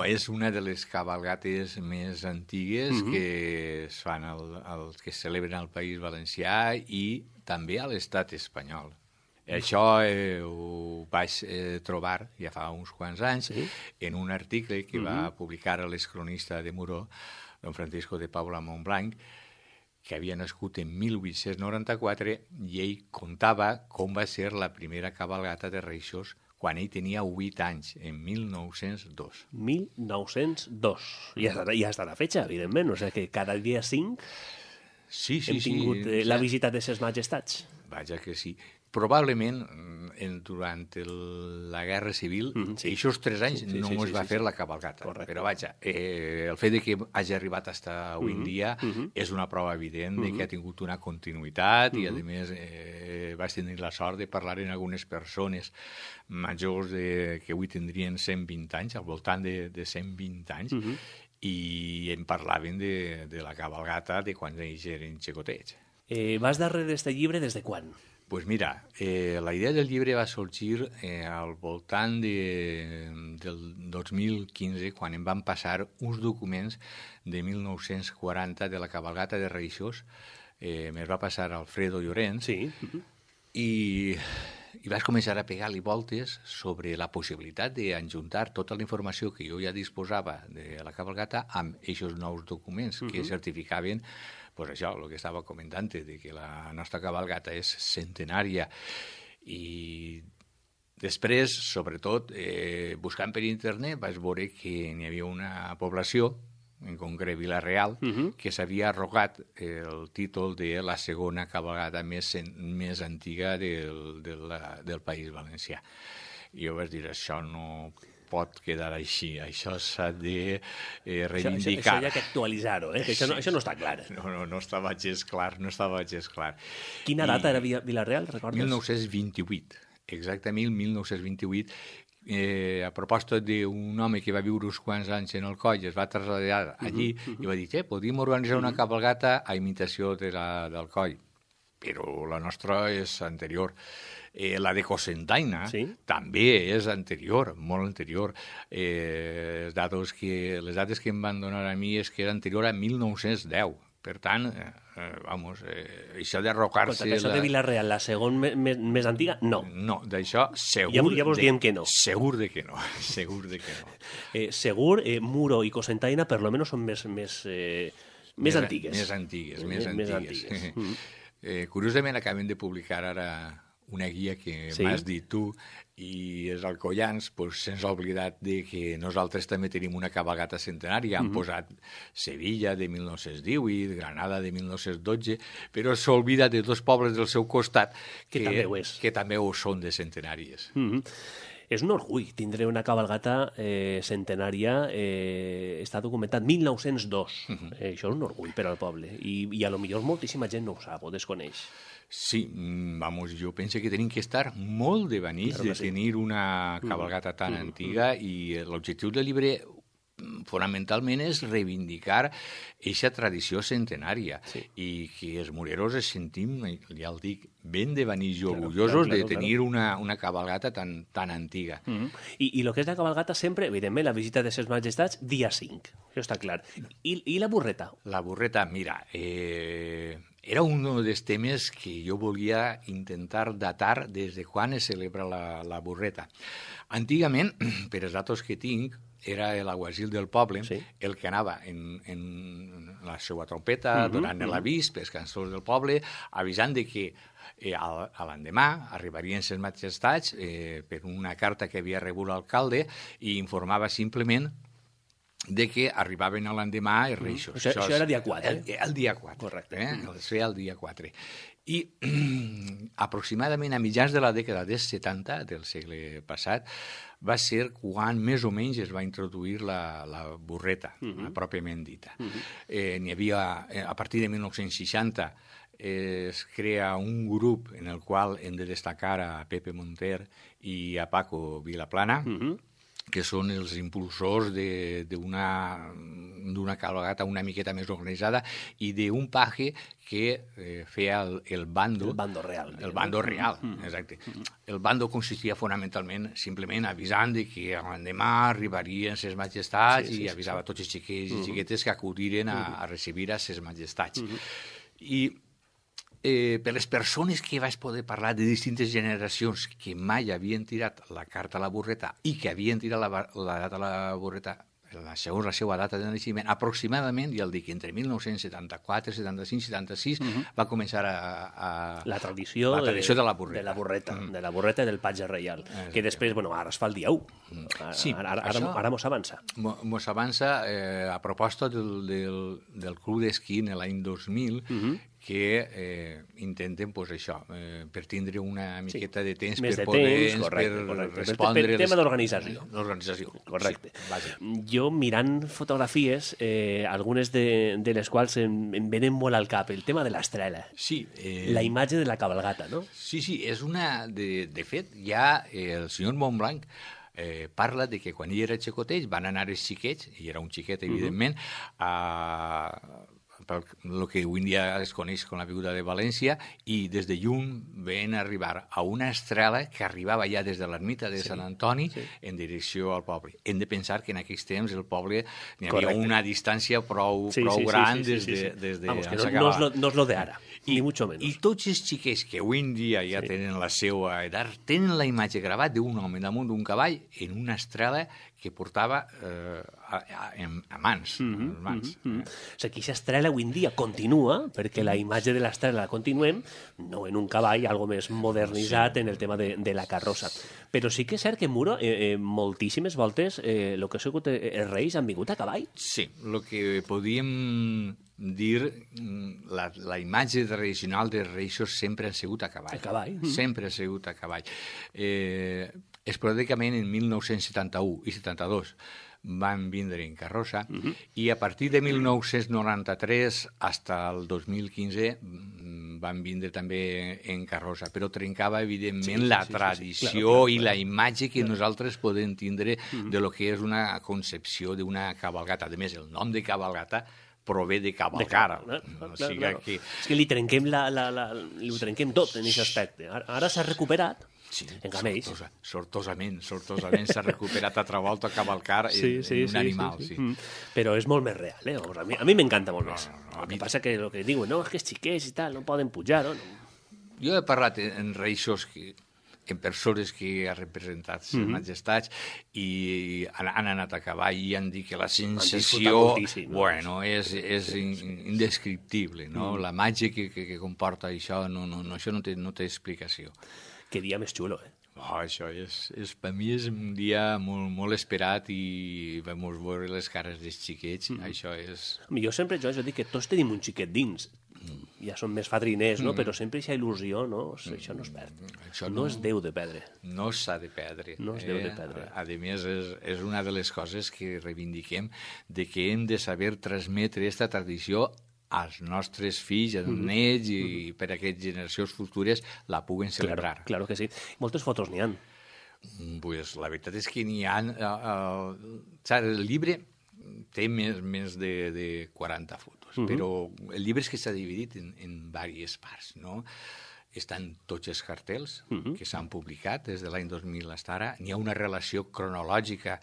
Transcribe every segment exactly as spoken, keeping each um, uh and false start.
és una de les cabalgates més antigues mm-hmm. que es fan el, el, que es celebren al País Valencià i també a l'Estat espanyol. Això eh, ho vaig eh, trobar ja fa uns quants anys sí? en un article que mm-hmm. va publicar l'excronista de Muro, don Francisco de Paula Montblanc, que havia nascut en mil vuit-cents noranta-quatre i ell contava com va ser la primera cabalgata de Reixos quan ell tenia vuit anys, en mil nou-cents dos. mil nou-cents dos. Ja està, ja està la fetxa, evidentment. O sigui que cada dia cinc sí, sí, hem tingut sí, eh, la visita de ses majestats. Vaja que sí. Probablement, en, durant el, la Guerra Civil, mm, sí. aquests tres anys sí, sí, no sí, es va sí, fer sí. la cabalgata. Correcte. Però vaja, eh, el fet de que hagi arribat fins avui en dia mm -hmm. és una prova evident mm -hmm. de que ha tingut una continuïtat mm -hmm. i, a més, eh, vaig tenir la sort de parlar amb algunes persones majors de, que avui tindrien cent vint anys, al voltant de, de cent vint anys, mm -hmm. i em parlaven de, de la cabalgata de quan ells eren xicotets. Eh, vas darrere d'aquest llibre des de quan? Pues mira, eh, la idea del llibre va sorgir eh, al voltant de, del dos mil quinze, quan em van passar uns documents de mil nou-cents quaranta de la cabalgata de Reixos. Eh, me'ls va passar Alfredo Llorens. Sí. I, i vaig començar a pegar-li voltes sobre la possibilitat d'enjuntar tota la informació que jo ja disposava de la cabalgata amb aquests nous documents que uh-huh. certificaven pues això, el que estava comentant, de que la nostra cabalgata és centenària. I després, sobretot, eh, buscant per internet, vaig veure que n'hi havia una població, en concret Vila-real, uh-huh. que s'havia arrogat el títol de la segona cabalgata més, més antiga del, de la, del País Valencià. I jo vaig dir, això no pot quedar així, això s'ha de eh, reivindicar. Això, això, això hi ha que actualitzar-ho, eh? Que això, no, això no està clar. No, no, no estava gens clar, no estava gens clar. Quina data I, era Vila-real, recordes? mil nou-cents vint-i-vuit, exactament mil nou-cents vint-i-vuit, eh, a proposta d'un home que va viure uns quants anys en el coll, es va traslladar allí uh-huh, uh-huh. i va dir, eh, podríem organitzar una cabalgata a imitació de la, del coll, però la nostra és anterior. Eh, la de Cocentaina sí? també és anterior, molt anterior. Eh, les, dates que, les dates que em van donar a mi és que era anterior a mil nou-cents deu. Per tant, eh, vamos, eh, això d'arrocar-se... Però això la... de Vila-real, la segona més, més antiga, no. No, d'això segur... Ja, ja vos de, diem que no. Segur de que no, segur de que no. Eh, segur, eh, Muro i Cocentaina, per lo menos, són més, més, eh, més, més antigues. Més antigues, més, més antigues. antigues. Mm. eh, curiosament, acabem de publicar ara una guia que sí? m'has dit tu, i els alcoians pues, se'ns ha oblidat de que nosaltres també tenim una cabalgata centenària. Han mm-hmm. posat Sevilla de mil nou-cents divuit, Granada de mil nou-cents dotze, però s'oblida de dos pobles del seu costat que, que, també, ho és. que també ho són de centenàries. Mm-hmm. És un orgull tindre una cabalgata eh, centenària, eh, està documentat mil nou-cents dos. Mm-hmm. Eh, això és un orgull per al poble. I, i a lo millor moltíssima gent no ho sap o desconeix. Sí, vamos, jo penso que tenim que estar molt de benís claro de sí. tenir una cabalgata tan mm, antiga mm. i l'objectiu del llibre fonamentalment és reivindicar aquesta tradició centenària sí. i que els moreros es sentim, ja el dic, ben de benís i claro, orgullosos claro, claro, de tenir claro. una, una cabalgata tan, tan antiga. Mm -hmm. I, I el que és la cabalgata sempre, evidentment, la visita de ses majestats, dia cinc, això està clar. I, i la burreta? La burreta, mira, eh, era un dels temes que jo volia intentar datar des de quan es celebra la, la burreta. Antigament, per els datos que tinc, era l'aguasil del poble, sí. el que anava en, en la seva trompeta, uh-huh, donant uh-huh. l'avís pels cantors del poble, avisant de que eh, a, a l'endemà arribarien ses majestats eh, per una carta que havia rebut l'alcalde i informava simplement de que arribaven a l'endemà els Reixos. Mm. Això, això, això era dia quatre. El, el dia quatre. Correcte. Eh? Mm. Es feia el dia quatre. I aproximadament a mitjans de la dècada dels setanta del segle passat va ser quan més o menys es va introduir la, la burreta, mm-hmm. pròpiament dita. Mm-hmm. Eh, n'hi havia, a partir de mil nou-cents seixanta, es crea un grup en el qual hem de destacar a Pepe Monter i a Paco Vilaplana, mm-hmm. que són els impulsors d'una d'una cabalgata una miqueta més organitzada i d'un paje que eh, feia el, el bando. El bando real. El bando real, mm. exacte. El bando consistia fonamentalment simplement avisant de que l'endemà arribarien ses majestats sí, sí, i avisava sí. tots els xiquets i xiquetes que acudiren a, a recibir a ses majestats. Mm-hmm. I eh, per les persones que vaig poder parlar de distintes generacions que mai havien tirat la carta a la burreta i que havien tirat la, la data a la burreta segons la seva data de naixement, aproximadament, ja el dic, entre mil nou-cents setanta-quatre, setanta-cinc, setanta-sis, uh-huh. va començar a, a... La tradició, la tradició de, de la burreta. De la burreta, mm. de la burreta i del patge reial, eh, que després, bueno, ara es fa el dia u. Ara, sí, ara, ara, ara, ara mos avança. Mos avança eh, a proposta del, del, del Club d'Esquí en l'any dos mil, uh-huh. que eh, intenten, pues, això, eh, per tindre una miqueta sí. de temps Més per de poder temps, correcte, per correcte. respondre... Per, per tema d'organització. L'organització, correcte. Sí, jo, mirant fotografies, eh, algunes de, de les quals em, em venen molt al cap, el tema de l'estrela. Sí. Eh... La imatge de la cabalgata, no? Sí, sí, és una... De, de fet, ja eh, el senyor Montblanc eh, parla de que quan ell era xicotell van anar els xiquets, i era un xiquet, evidentment, uh-huh. a... el que avui dia es coneix com la Beguda de València, i des de lluny ven arribar a una estrela que arribava ja des de l'ermita de sí, Sant Antoni sí. en direcció al poble. Hem de pensar que en aquells temps el poble n'hi havia Correcte. Una distància prou, sí, prou sí, gran sí, sí, sí, des de... Des de Vamos, que no, no, és lo, no és lo de ara, I, ni mucho menos. I tots els xiquets que avui en dia ja sí. tenen la seva edat, tenen la imatge gravat d'un home damunt d'un cavall en una estrela que portava eh, a, a, a mans. Mm-hmm, mans mm-hmm. eh? O sigui, aquesta estrela avui en dia continua, perquè la imatge de l'estrela la continuem, no en un cavall, algo més modernitzat sí. en el tema de, de la carrossa. Però sí que és cert que en Muro, eh, eh, moltíssimes voltes, el eh, que ha sigut els reis han vingut a cavall. Sí, el que podíem dir, la, la imatge tradicional dels reixos sempre ha sigut a cavall. A cavall. Mm. Sempre ha sigut a cavall. Eh, esporàdicament en mil nou-cents setanta-u i setanta-dos van vindre en carrossa uh-huh. i a partir de mil nou-cents noranta-tres fins al dos mil quinze van vindre també en carrossa, però trencava evidentment sí, la sí, tradició sí, sí. Claro, claro, i la imatge que claro. nosaltres podem tindre uh-huh. de lo que és una concepció d'una cabalgata. A més, el nom de cabalgata prové de cavalcar. De clar, o sigui clar, que... És que li trenquem, la, la, la, li trenquem tot en aquest aspecte. Ara, ara s'ha recuperat, sí, en camells. Sortosa, sortosament, sortosament s'ha recuperat altra volta a cavalcar en, sí, sí, en un sí, animal. Sí, sí. Sí. Mm. Però és molt més real, eh? A mi, a mi m'encanta molt més. No, no, no, el que passa que el que diuen, no, és que els xiquets i tal, no poden pujar, no? Jo he parlat en reixos que en persones que ha representat les mm-hmm. majestats i han, han anat a cavall i han dit que la sensació bueno, és, és indescriptible, no? Mm. La màgia que, que, que comporta això, no, no, no, això no té, no té explicació. Que dia més xulo, eh? Oh, això és, és, per mi és un dia molt, molt esperat i vam veure les cares dels xiquets, mm. això és... Jo sempre jo, jo dic que tots tenim un xiquet dins, mm. ja són més fadriners, no? Mm. Però sempre aquesta il·lusió, no? Això no es perd. Això no, no es deu de perdre. No s'ha de perdre. No es deu de perdre. A, a més, és, és una de les coses que reivindiquem, de que hem de saber transmetre aquesta tradició als nostres fills, als mm-hmm. nets i mm-hmm. per a aquestes generacions futures la puguen celebrar. Claro, claro que sí. Moltes fotos n'hi ha. Pues la veritat és que n'hi ha... Uh, uh, el llibre té més, més de, de quaranta fotos, mm-hmm. però el llibre és que s'ha dividit en, en diverses parts, no? Estan tots els cartells mm-hmm. que s'han publicat des de l'any dos mil fins ara. N'hi ha una relació cronològica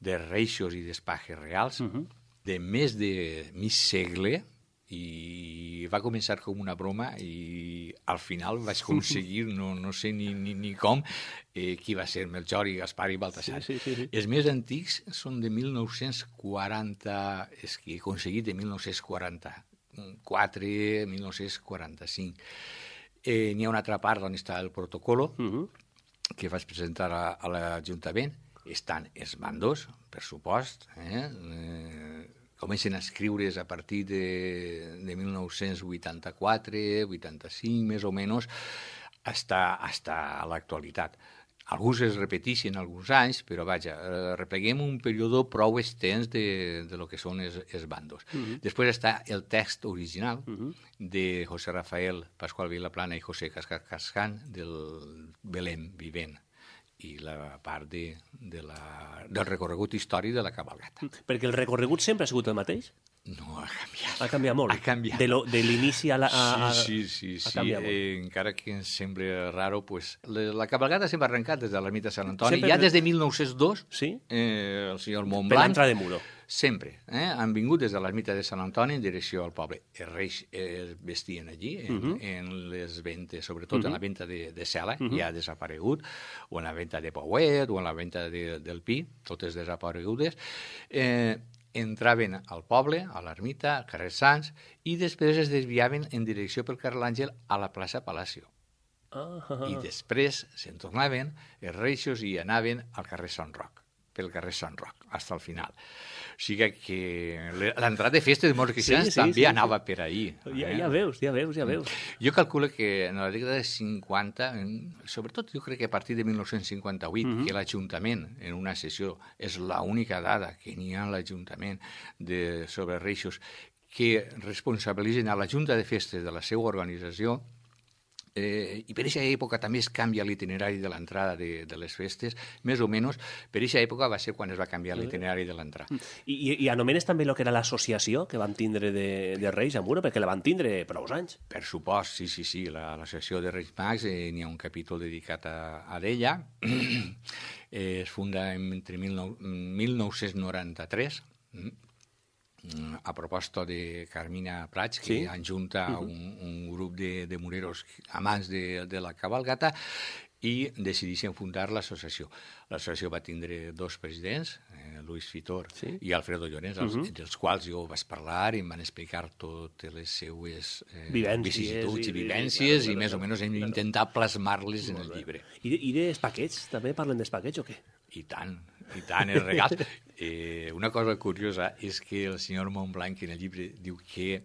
de reixos i d'espajes reals mm-hmm. de més de mig segle, i va començar com una broma i al final vaig aconseguir, no, no sé ni, ni, ni com, eh, qui va ser Melchor i Gaspar i Baltasar. Sí, sí, sí, sí. Els més antics són de mil nou-cents quaranta, és que he aconseguit de mil nou-cents quaranta-quatre, mil nou-cents quaranta-cinc. Eh, n'hi ha una altra part on està el protocolo, uh-huh. que vaig presentar a, a l'Ajuntament. Estan els mandos, per supost, eh? eh comencen a escriure's a partir de, de mil nou-cents vuitanta-quatre, vuitanta-cinc, més o menys, hasta, hasta l'actualitat. Alguns es repeteixen alguns anys, però vaja, eh, repleguem un període prou extens de, de lo que són els, els bandos. Uh-huh. Després està el text original uh-huh. de José Rafael Pascual Vilaplana i José Cascán del Belém Vivent. i la part de, de la, del recorregut històric de la cabalgata. Perquè el recorregut sempre ha sigut el mateix? No, ha canviat. Ha canviat molt? Ha canviat. De, lo, de l'inici a la... A, a... Sí, sí, sí. Ha sí. canviat molt. Eh, encara que ens sembli raro, pues, la, la cabalgata sempre ha arrencat des de l'ermita de Sant Antoni. Sempre... Ja des de mil nou-cents dos, sí? eh, el senyor Montblanc... Per l'entrada de Muro. Sempre. Eh? Han vingut des de l'ermita de Sant Antoni en direcció al poble. Els reis es vestien allí, en, uh -huh. en les ventes, sobretot uh -huh. en la venta de, de cela, uh -huh. ja ha desaparegut, o en la venta de Pauet, o en la venta de, del Pi, totes desaparegudes. Eh, entraven al poble, a l'ermita, al carrer Sants, i després es desviaven en direcció pel carrer L'Àngel a la plaça Palacio. Ah, ah, ah. I després se'n tornaven els reixos i anaven al carrer Sant Roc, pel carrer Sant Roc, fins al final. O sigui que l'entrada de festes de molts cristians sí, sí, també sí, anava sí. per ahir. Ja, eh? ja veus, ja veus, ja veus. Jo calculo que en la dècada de cinquanta, sobretot jo crec que a partir de mil nou-cents cinquanta-vuit, uh -huh. que l'Ajuntament, en una sessió, és l'única dada que n'hi ha a l'Ajuntament de, sobre reixos, que responsabilitzen a la Junta de Festes de la seva organització. Eh, I per aquesta època també es canvia l'itinerari de l'entrada de, de les festes, més o menys, per aquesta època va ser quan es va canviar l'itinerari de l'entrada. I, i, I anomenes també el que era l'associació que van tindre de, de Reis a Muro, perquè la van tindre prou anys. Per supost, sí, sí, sí, l'associació de Reis Mags, eh, n'hi ha un capítol dedicat a, a ella, eh, es funda entre mil nou-cents noranta-tres, a proposta de Carmina Prats, que sí? enjunta uh -huh. un, un grup de, de moreros amants de, de la cabalgata, i decideixen fundar l'associació. L'associació va tindre dos presidents, eh, Luis Fitor sí? i Alfredo Llorens, els, uh -huh. dels quals jo vaig parlar i em van explicar totes les seues eh, vicissituds i, i vivències, i, i, i més o menys hem intentat plasmar-les en el llibre. I, i dels paquets? També parlen dels paquets o què? I tant, i tant, els regals. Eh, una cosa curiosa és que el senyor Montblanc en el llibre diu que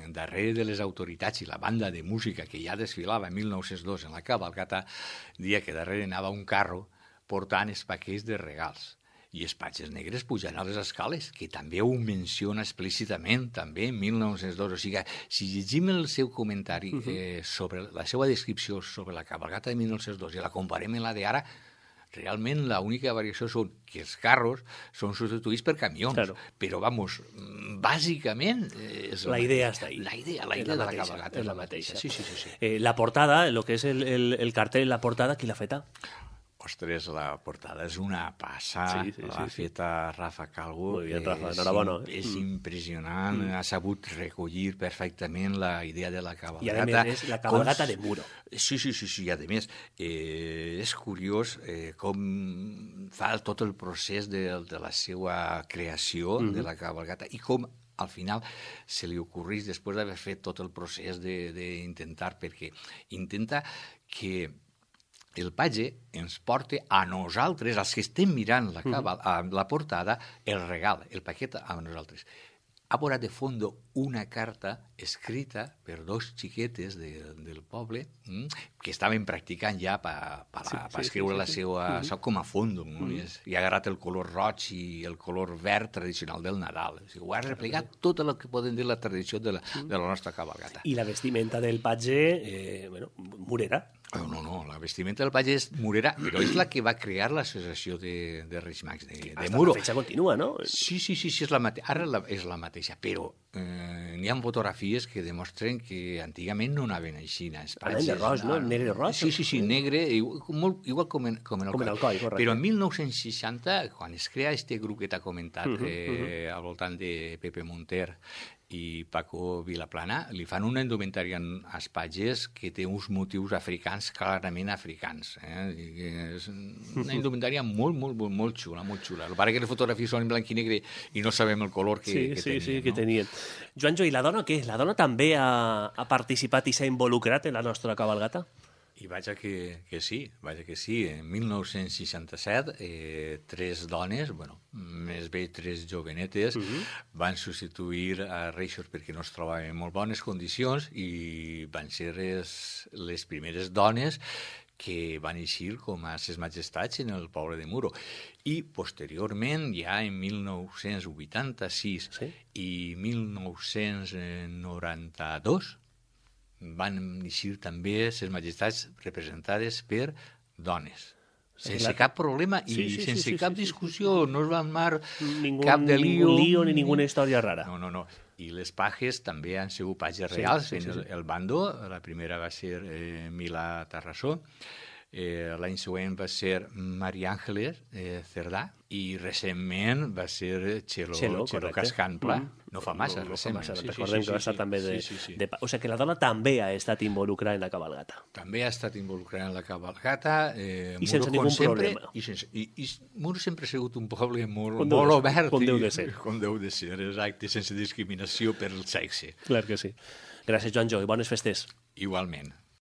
darrere de les autoritats i la banda de música que ja desfilava en mil nou-cents dos en la cabalgata, dia que darrere anava un carro portant els paquets de regals. I els patges negres pujant a les escales, que també ho menciona explícitament, també en mil nou-cents dos. O sigui, si llegim el seu comentari eh, sobre la seva descripció sobre la cabalgata de mil nou-cents dos i la comparem amb la d'ara, realment l'única variació són que els carros són substituïts per camions, claro. Però, vamos, bàsicament... És la idea està ahí. La idea, la idea de la cabalgata és la mateixa. Sí, sí, sí. sí. Eh, la portada, el que és el, el, el cartell, la portada, qui l'ha feta? Ostres, la portada és una passa, sí, sí, l'ha sí, feta sí. Rafa Calvo. Molt bé, Rafa, enhorabona. És, és impressionant, mm. ha sabut recollir perfectament la idea de la cabalgata. I a més és la cabalgata com... de Muro. Sí, sí, sí, sí, i a més eh, és curiós eh, com fa tot el procés de, de la seva creació, mm. de la cabalgata, i com al final se li ocorreix després d'haver fet tot el procés d'intentar, perquè intenta que el patge ens porta a nosaltres, als que estem mirant la, cabal, a la portada, el regal, el paquet a nosaltres. Ha posat de fondo una carta escrita per dos xiquetes de, del poble mm, que estaven practicant ja per pa, sí, pa sí, escriure sí, sí, la seva... Sí. Sap com a fondo, no? Mm. I, I ha agarrat el color roig i el color verd tradicional del Nadal. O sigui, ho ha replicat tot el que poden dir la tradició de la, de la nostra cabalgata. I la vestimenta del patge, eh, bueno, morera. Oh, no, no, la vestimenta del patge és morera, però és la que va crear l'associació de, de Reis Mags de, de Muro. La fetge continua, no? Sí, sí, sí, sí és la mate... ara la, és la mateixa, però eh, n'hi ha fotografies que demostren que antigament no anaven així. Anaven de roig, no? Negre roig? Sí, sí, sí, negre, igual, molt, igual com en, com en el com coll. En el coll, correcte. Però en mil nou-cents seixanta, quan es crea aquest grup que t'ha comentat, uh -huh, eh, uh -huh. al voltant de Pepe Monter i Paco Vilaplana, li fan una indumentària als patges que té uns motius africans, clarament africans. Eh? És una indumentària molt, molt, molt, molt xula, molt xula. El pare que les fotografies són en blanc i negre i no sabem el color que, sí, que sí, tenien. Sí, no? que tenien. Joanjo, i la dona què? La dona també ha, ha participat i s'ha involucrat en la nostra cabalgata? I vaja que, que sí, vaja que sí. En mil nou-cents seixanta-set, eh, tres dones, bueno, més bé tres jovenetes, uh -huh. van substituir a reixos perquè no es trobaven en molt bones condicions i van ser les, les primeres dones que van eixir com a ses majestats en el poble de Muro. I posteriorment, ja en mil nou-cents vuitanta-sis sí? i mil nou-cents noranta-dos, van eixir també ses majestats representades per dones. sense cap problema i sí, sí, sense sí, sí, cap sí, discussió, sí, sí. no es va armar ningún, cap de lío. Ningún lío ni ninguna història rara. No, no, no. I les pages també han sigut pages sí, reals. sí, sí, sí. El, el Bandó, la primera va ser eh, Milà-Tarrassó, eh, l'any següent va ser Maria Àngeles eh, Cerdà, i recentment va ser Txelo, Txelo, Txelo Cascantla. Mm. No fa massa, no, no recentment. fa massa. Sí, Recordem sí, que va sí, estar sí, també de, sí, sí, sí. de... O sigui que la dona també ha estat involucrada en la cabalgata. També ha estat involucrada en la cabalgata. Eh, I sense ningú problema. I, sense, i, i Muro sempre ha sigut un poble molt, com molt de, obert. Com deu de ser. Com deu de ser, exacte, sense discriminació per el sexe. Clar que sí. Gràcies, Joan Jo, i bones festes. Igualment.